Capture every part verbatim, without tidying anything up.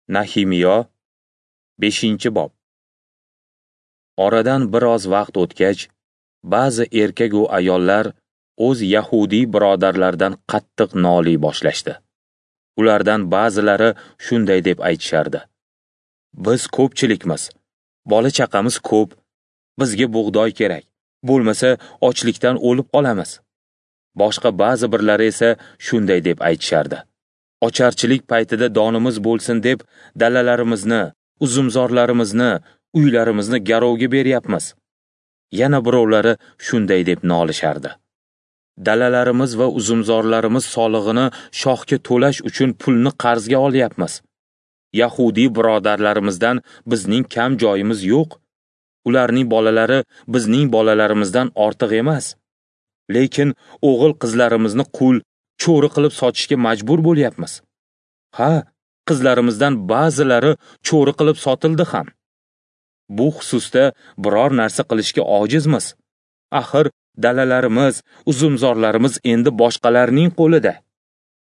Nahimiyo, beshinchi bob. Oradan biroz vaqt o'tgach, ba'zi erkak va ayollar o'z yahudiy birodarlaridan qattiq noliy boshlashdi. Ulardan ba'zilari shunday deb aytishardi: Biz ko'pchilikmiz, bola chaqamiz ko'p, bizga bug'doy kerak, bo'lmasa ochlikdan o'lib qolamiz. Boshqa ba'zi birlari esa shunday deb aytishardi: Ocharchilik paytida donimiz bo'lsin deb dalalarimizni, uzumzorlarimizni, uylarimizni garovga beryapmiz. Yana birovlari shunday deb nolishardi: Dalalarimiz va uzumzorlarimiz solig'ini shohga to'lash uchun pulni qarzga olyapmiz. Yahudiy birodarlarimizdan bizning kam joyimiz yo'q. Ularning bolalari bizning bolalarimizdan ortiq emas. Lekin o'g'il qizlarimizni qul, cho'ri qilib sotishga majbur bo'lyapmiz. Ha, qizlarimizdan ba'zilari cho'ri qilib sotildi ham. Bu xususda biror narsa qilishga ojizmiz. Axir dalalarimiz, uzumzorlarimiz endi boshqalarning qo'lida.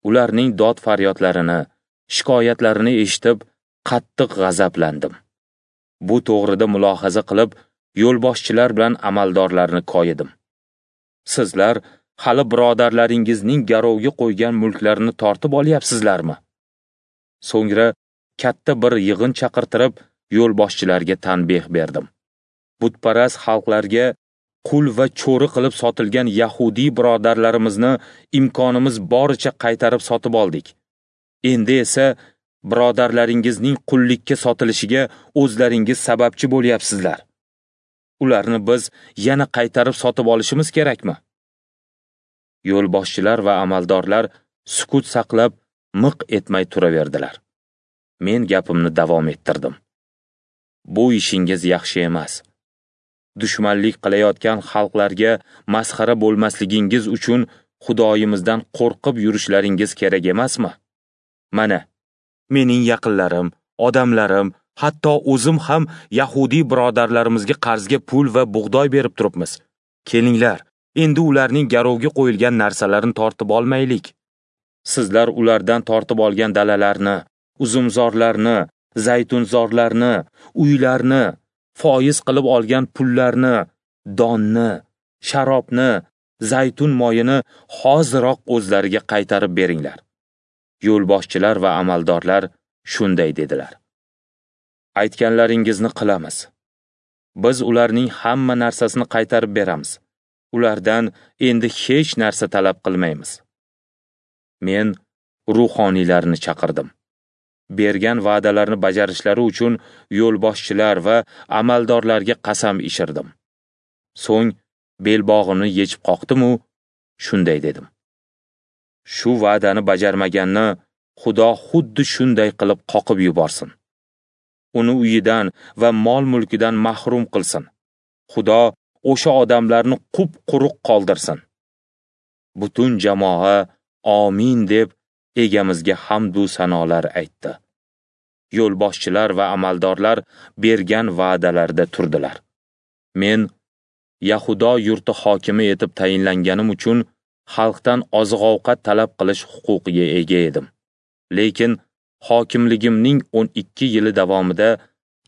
Ularning dod faryodlarini, shikoyatlarini eshitib, qattiq g'azablandim. Bu to'g'rida mulohaza qilib, yo'lboshchilar bilan amaldorlarni koyidim. Sizlar hali birodarlaringizning garovga qo'ygan mulklarini tortib olyapsizlarmi? So'ngra katta bir yig'in chaqirtirib, yo'lboshchilarga tanbeh berdim. Butparast xalqlarga qul va cho'ri qilib sotilgan yahudiy birodarlarimizni imkonimiz boricha qaytarib sotib oldik. Endi esa birodarlaringizning qullikka sotilishiga o'zlaringiz sababchi bo'lyapsizlar. Ularni biz yana qaytarib sotib olishimiz kerakmi? Yo'lboshchilar va amaldorlar sukut saqlab, miq etmay turaverdilar. Men gapimni davom ettirdim. Bu ishingiz yaxshi emas. Dushmanlik qilayotgan xalqlarga masxara bo'lmasligingiz uchun Xudoyimizdan qo'rqib yurishlaringiz kerak emasmi? Mana, mening yaqinlarim, odamlarim, hatto o'zim ham yahudiy birodarlarimizga qarzga pul va bug'doy berib turibmiz. Kelinglar, endi ularning garovga qo'yilgan narsalarini tortib olmaylik. Sizlar ulardan tortib olgan dalalarni, uzumzorlarni, zaytunzorlarni, uylarni, foiz qilib olgan pullarni, donni, sharobni, zaytun moyini hoziroq o'zlariga qaytarib beringlar. Yo'lboshchilar va amaldorlar shunday dedilar: Aytganlaringizni qilamiz. Biz ularning hamma narsasini qaytarib beramiz. Ulardan endi hech narsa talab qilmaymiz. Men ruhoniylarni chaqirdim. Bergan va'dalarni bajarishlari uchun yo'lboshchilar va amaldorlarga qasam ichirdim. So'ng belbog'imni yechib qoqdim-u, shunday dedim: Shu va'dani bajarmaganni Xudo xuddi shunday qilib qoqib yuborsin. Uni uyidan va mol-mulkidan mahrum qilsin. Xudo o'sha odamlarni qup-quruq qoldirsin. Butun jamoa amin deb egamizga hamd u sanolar aytdi. Yo'lboshchilar va amaldorlar bergan va'dalarda turdilar. Men Yahudo yurti hokimi etib tayinlanganim uchun xalqdan oziq-ovqat talab qilish huquqiga ega edim. Lekin hokimligimning o'n ikki yili davomida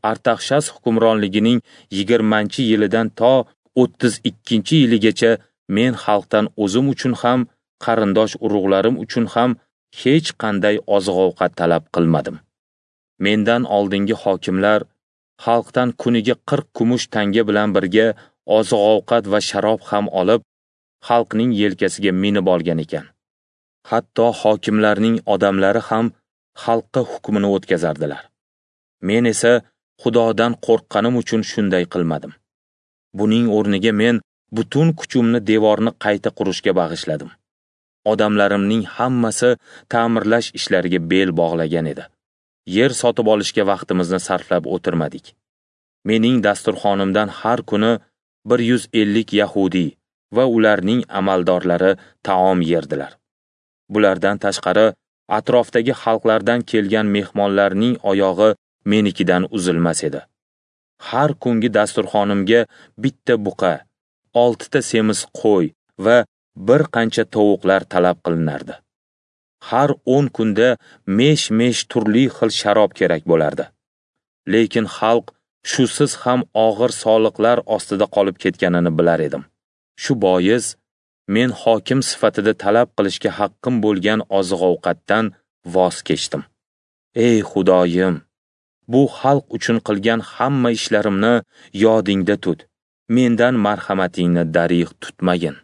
Artaxshas hukmronligining yigirmanchi yilidan to o'ttiz ikkinchi yiligacha men xalqdan o'zim uchun ham, qarindosh urug'larim uchun ham hech qanday oziq-ovqat talab qilmadim. Mendan oldingi hokimlar xalqdan kuniga qirq kumush tanga bilan birga oziq-ovqat va sharob ham olib, xalqning yelkasiga minib olgan ekan. Hatto hokimlarning odamlari ham xalqqa hukmini o'tkazardilar. Men esa Xudodan qo'rqqanim uchun shunday qilmadim. Buning o'rniga men butun kuchimni devorni qayta qurishga bag'ishladim. Odamlarimning hammasi ta'mirlash ishlariga bel bog'lagan edi. Yer sotib olishga vaqtimizni sarflab o'tirmadik. Mening dasturxonimdan har kuni bir yuz ellik yahudiy va ularning amaldorlari taom yerdilar. Bulardan tashqari, atrofdagi xalqlardan kelgan mehmonlarning oyog'i menikidan uzilmas edi. Har kungi dasturxonimga bitta buqa, oltita semiz qo'y va bir qancha tovuqlar talab qilinardi. Har o'n kunda mesh-mesh turli xil sharob kerak bo'lardi. Lekin xalq shusiz ham og'ir soliqlar ostida qolib ketganini bilar edim. Shu bois men hokim sifatida talab qilishga haqqim bo'lgan oziq-ovqatdan voz kechdim. Ey Xudoyim, bu xalq uchun qilgan hamma ishlarimni yodingda tut. Mendan marhamatingni darig' tutmagin.